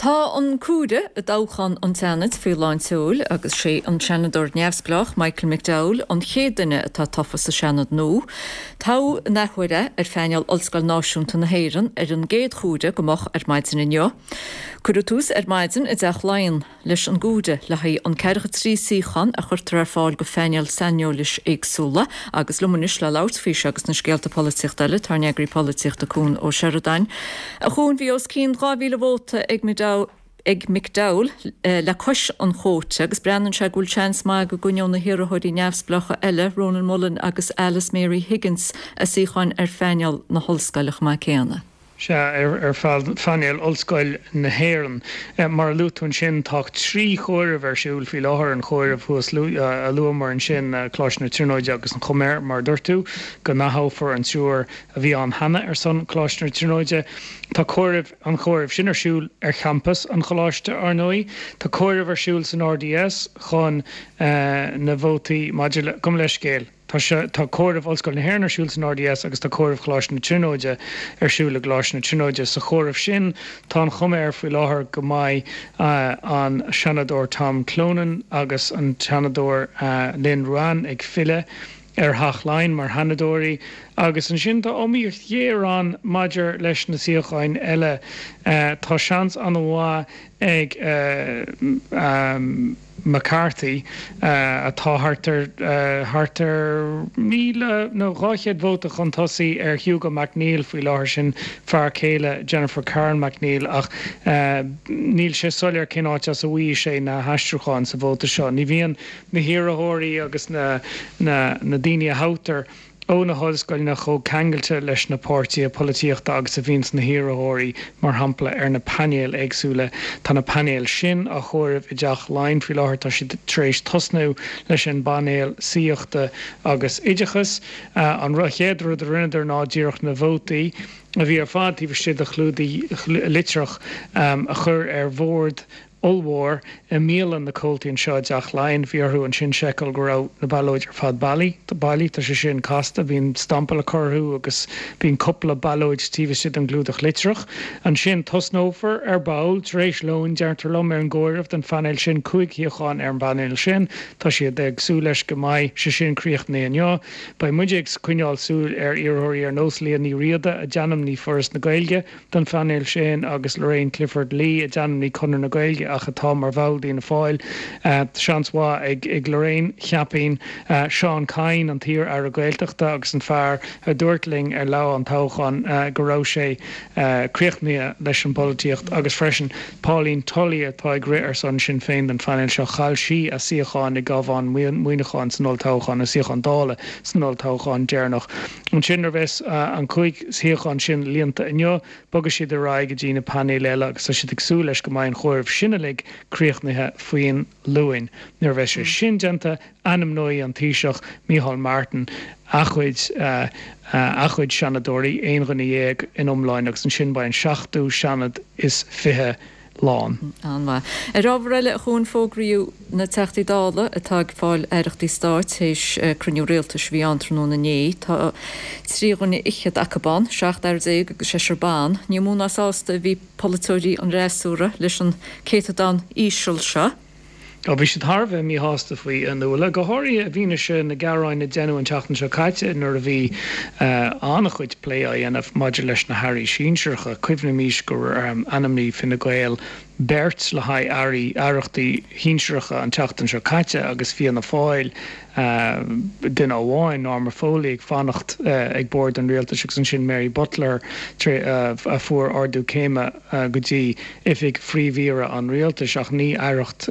Tá an comhaireamh i dtoghchán an tSeanaid faoi lán tseoil agus sé an Seanadóir neamhspleách Michael McDowell an chéad duine atá tofa sa Seanad nua. Toghadh in athuair é ar phainéal Ollscoil Náisiúnta na hÉireann ar an gcéad chomhaireamh go moch ar maidin inniu. Cuireadh tús ar maidin i dTeach Laighean. leis an gcomhaireamh le haghaidh an 43 suíochán a chuirtear ar fáil go phainéil saineolais éagsúla agus liom anois le labhairt faoi seo agus na scéalta polaitíochta eile tá ár n-eagraí polaitíochta Cuan Ó Seireadáin. A Chuain, bhí os cionn 2,000 vóta ag ag McDowell le cois an chóta agus breathnaíonn sé go bhfuil seans maith go gcoinneoidh na hiarrthóirí neamhspleácha eile, Rónán Mullen agus Alice Mary Higgins, a suíocháin ar phainéal na hollscoile chomh maith céanna. Sea, ar phainéal Ollscoil na hÉireann. Mar a luaigh tú ansin, tá 3 chomhaireamh ar siúl faoi láthair, an chomhaireamh thuas a luamar ansin, Coláiste na Tríonóide agus an chuma air, mar a dúirt tú, go n-aththoghfar an triúr a bhí ann cheana ar son Choláiste na Tríonóide. Tá comhaireamh, an chomhaireamh sin ar siúl ar champas an choláiste, ar ndóigh. Tá comhaireamh ar siúl san RDS chun na vótaí maidir le, gabh mo leithscéal. Tá sé, tá comhaireamh Ollscoil na hÉireann ar siúl san RDS agus tá comhaireamh Choláiste na Tríonóide ar siúl i gColáiste na Tríonóide. Sa chomhaireamh sin, tá an chuma air faoi láthair go mbeidh an Seanadóir Tom Clonan agus an Seanadóir Lynn Ruane ag filleadh ar Theach Laighean mar Sheanadóirí. Agus ansin tá iomaíocht ghéar ann maidir leis na suíocháin eile. Tá seans an-mhaith ag. McCarthy, atá thart ar thart ar 1,000 nó 200 vóta chun tosaigh ar Hugo McNeill faoi láthair, sin fear céile Jennifer Carroll MacNeill, ach níl sé soiléir cén áit as a bhfaighidh sé na haistriúcháin sa vóta seo. Ní bhíonn na hiarrthóirí agus na na daoine a thoghtar ó na hollscoileanna chomh ceangailte leis na páirtithe polaitíochta agus a bhíonns na hiarrthóirí, mar shampla, ar na painéil éagsúla. Tá na painéil sin á chomhaireamh i dTeach Laighean faoi láthair. Tá siad tar éis tosnú leis an bpainéal saíochta agus oideachais. An chéad rud a rinneadar ná díreach na vótaí a bhí ar fad taobh istigh de chlúdaigh litreach a chur ar bhord ollmhór i mbialann na comhaltaí anseo i dTeach Laighean. Bhí orthu ansin seiceáil go raibh na ballóid ar fad bailí. Bailí. Tá sé sin casta. Bíonn stampa le cur orthu agus bíonn cúpla ballóid taobh istigh den gclúdach litreach. Ansin tosnófar ar ball, tar éis lóin, deirtear liom, ar an gcomhaireamh don phainéal sin, 5 shuíochán ar an bpainéal sin. Tá siad ag súil leis go mbeidh sé sin críochnaithe inniu. Beidh muide ag coinneáil súil ar iarrthóirí ar nós Liadh Ní Riada, a d'ainmnigh Foras na Gaeilge. don phainéal sin agus Lorraine Clifford Lee a d'ainmnigh Conradh na Gaeilge ach atá mar bhall d'Fhianna Fáil. Seans mhaith ag Lorraine, cheapfainn. Seán Kyne, an t-iar-aire Gaeltachta agus an fear a dúirt linn ar lá an toghcháin go raibh sé críochnaithe leis an bpolaitíocht agus freisin Pauline Tully atá ag rith ar son Sinn Féin don phainéal seo. Chaill sí a suíochán i gCabhán Mhuineacháin san olltoghchán, a suíochán Dála san olltoghchán deireanach. Ansin, nuair a bheas an 5 shuíochán sin líonta inniu, bogfaidh siad ar aghaidh go dtí na painéil eile agus tá siad ag súil leis go mbeidh an chomhaireamh sin uilig críochnaithe faoin Luain. Nuair a bheas sé sin déanta, ainmneoidh an Taoiseach, Micheál Martin, a chuid a chuid Seanadóirí, 11 dhuine in iomláin, agus ansin beidh an seachtú Seanad is 20 lán. An-mhaith. Ar ábhar eile, a Chuain, fógraíodh na Teachtaí Dála atá ag fáil aireachtaí stáit théis cruinniú rialtais a bhí ann tráthnóna inné. Tá 3 dhuine fhichead acu ann, 17 fhear agus seisear ban. Ní mó ná sásta a bhí polaiteoirí an fhreasúra leis an céatadán íseal seo. Ó, bhí siad thar a bheith míshásta faoi, a Nuala, go háirithe i bhfianaise na gearáin a deineadh an tseachtain seo caite nuair a bhí an-chuid plé á dhéanamh maidir leis na hairí sinsearacha. Cuimhnímís gur ainmnigh Fine Gael beirt le haghaidh airí, aireachtaí shinsearacha an tseachtain seo caite agus Fianna Fáil duine amháin, Norma Foley, ag fanacht ag bord an rialtais agus ansin Mary Butler a fuair ardú céime go dtí oifig Phríomh-Aoire an Rialtais, ach ní aireacht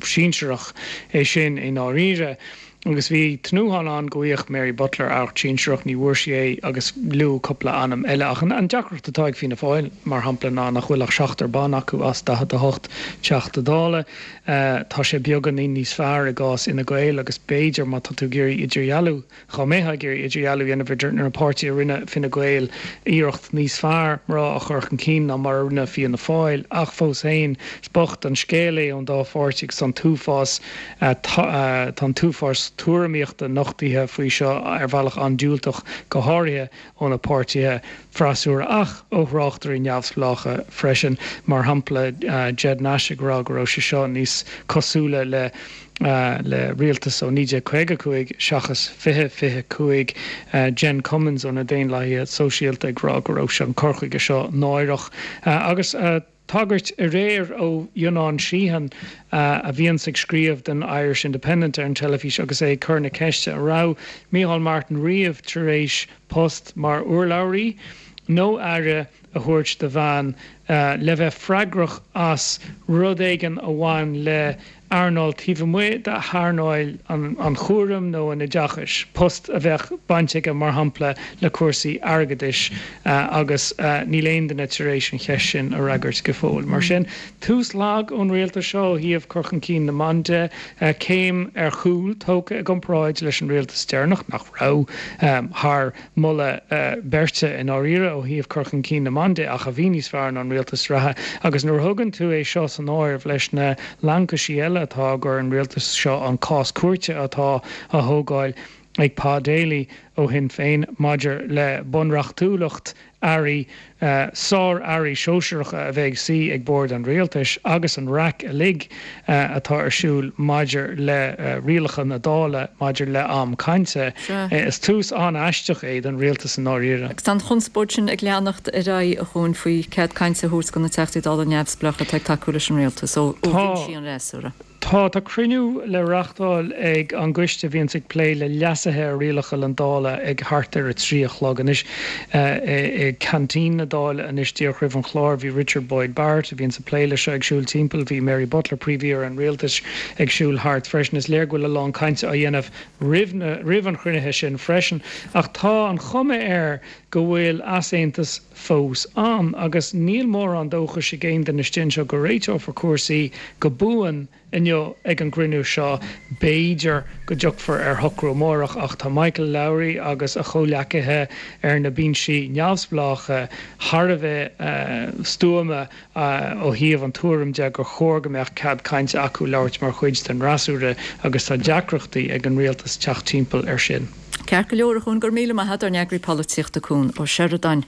sinsearach é sin i ndáiríre. Agus bhí tnúthán ann go bhfaigheadh Mary Butler aireacht sinsearach, ní bhfuair sí é agus luadh cúpla ainm eile. Ach an deacracht atá ag Fianna Fáil, mar shampla, ná nach bhfuil ach seachtar ban acu as 48 Teachta Dála. Tá sé beagáinín níos fearr i gcás Fhine Gael agus b'fhéidir, má tá tú ag iarraidh idirdhealú, Dhá mbeifeá ag iarraidh idirdhealú a dhéanamh idir na páirtithe rinne Fine Gael iarracht níos fearr mná a chur chun cinn ná mar a rinne Fianna Fáil ach fós féin is bocht an scéal é ón dá pháirtí agus tá an t-uafás tá an t-uafás. lucht tuairimíochta nochtaithe faoi seo ar bhealach an-diúltach, go háirithe ó na páirtithe freasúra ach ó thráchtairí neamhspleácha freisin, mar shampla Ged Nash ag rá go raibh sé seo níos cosúla le le rialtas ó 1955 seachas 2025, Jen Cummins ó na Daonlathaithe Sóisialta ag rá go raibh an cur chuige seo náireach agus. Tagairt aréir ó Fhionnán Sheehan, a bhíonns ag scríobh don Irish Independent ar an teilifís agus é ag cur na ceiste an raibh Micheál Martin riamh tar éis post mar urlabhraí nó aire a thabhairt do bhean le bheith freagrach as rud éigin a bhain le earnáil taobh amuigh d'earnáil an chúraim nó an oideachais, post a bheadh baint aige, mar shampla, le cúrsaí airgeadais agus níl aon duine tar éis an cheist sin a fhreagairt go fóill. Mar sin, tús lag ón rialtas seo ó thaobh cur chun cinn na mban de, céim ar chúl tógtha i gcomparáid leis an rialtas deireanach, nach raibh thar moladh beirte i ndáiríre ó thaobh cur chun cinn na mban de ach a bhí níos fearr ná an rialtas reatha agus nuair a thugann tú é seo san áireamh leis na laincisí eile atá á gcur ar an rialtas seo, an cás cúirte atá á thógáil ag Pa Daly ó Shinn Féin maidir le bunreachtúlacht airí, sár-airí sóisearacha a bheith ag suí ag bord an rialtais agus an raic uilig atá ar siúl maidir le rialacha na Dála maidir le am cainte. Is tús an-aisteach é don rialtas i ndáiríre. Agus tá an chonspóid sin ag leanacht ar aghaidh, a Chuain, faoi cead cainte a thabhairt do na Teachtaí Dála neamhspleácha atá ag tacú leis an rialtas ó bhinsí an fhreasúra. Tá. Tá cruinniú le reachtáil ag an gcoiste a bhíonns ag plé le leasuithe ar rialacha na Dála ag thart ar 3 a chlog anois. I gceaintín na Dála anois díreach roimh an chlár bhí Richard Boyd Barrett, a bhíonns ag plé leis seo, ag siúl timpeall. Bhí Mary Butler, Príomh-Aoire an Rialtais, ag siúl thart freisin. Is léir go bhfuil a lán cainte á dhéanamh roimh na, roimh an chruinnithe sin freisin. Ach tá an chuma air go bhfuil easaontas fós ann agus níl mórán dóchais ag aon duine istigh anseo go réiteofar cúrsaí go buan inniu ag an gcruinniú seo. B'fhéidir go dtiocfar ar shocrú amárach ach tá Michael Lowry agus a chomhleacaithe ar na binsí neamhspleácha thar a bheith stuama ó thaobh an tuairim de gur chóir go mbeadh cead cainte acu labhairt mar chuid den fhreasúra agus tá deacrachtaí ag an rialtas teacht timpeall air sin. Ceart go leor, a Chuain, go raibh míle maith agat, ár n-eagraí polaitíochta Cuan Ó Seireadáin.